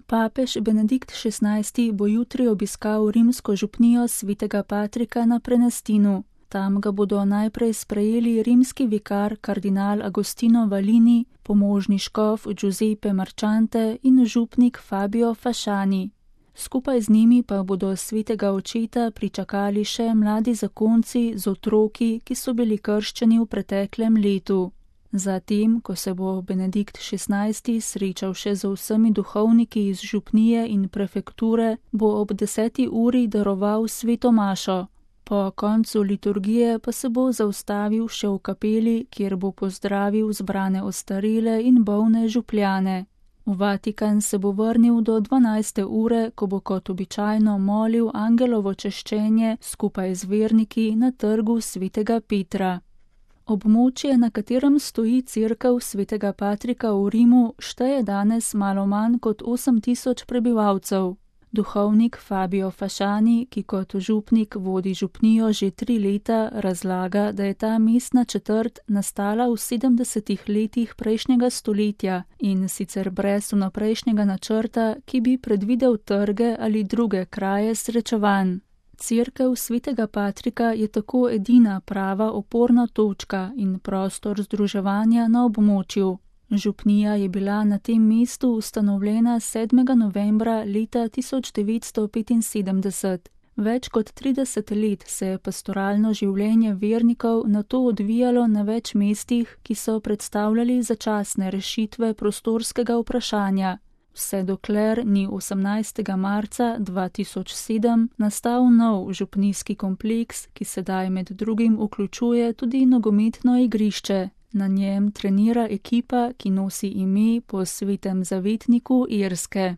Papež Benedikt XVI. Bo jutri obiskal rimsko župnijo svetega Patrika na Prenestinu. Tam ga bodo najprej sprejeli rimski vikar kardinal Agostino Valini, pomožni škof Giuseppe Marchante in župnik Fabio Fasciani. Skupaj z njimi pa bodo svetega očeta pričakali še mladi zakonci z otroki, ki so bili krščeni v preteklem letu. Zatem, ko se bo Benedikt XVI. Srečal še z vsemi duhovniki iz župnije in prefekture, bo ob 10. uri daroval sveto mašo. Po koncu liturgije pa se bo zaustavil še v kapeli, kjer bo pozdravil zbrane ostarele in bolne župljane. V Vatikan se bo vrnil do 12. ure, ko bo kot običajno molil angelovo češčenje skupaj z verniki na trgu svetega Petra. Območje, na katerem stoji cerkev svetega Patrika v Rimu, šteje danes malo manj kot 8000 prebivalcev. Duhovnik Fabio Fasciani, ki kot župnik vodi župnijo že 3 leta, razlaga, da je ta mestna četrt nastala v 70. letih prejšnjega stoletja in sicer brez vnaprejšnjega načrta, ki bi predvidel trge ali druge kraje srečevanj. Cerkev svetega Patrika je tako edina prava oporna točka in prostor združevanja na območju. Župnija je bila na tem mestu ustanovljena 7. novembra leta 1975. Več kot 30 let se je pastoralno življenje vernikov nato odvijalo na več mestih, ki so predstavljali začasne rešitve prostorskega vprašanja. Vse dokler ni 18. marca 2007 nastal nov župnijski kompleks, ki sedaj med drugim vključuje tudi nogometno igrišče. Na njem trenira ekipa, ki nosi ime po svetem zavetniku Irske.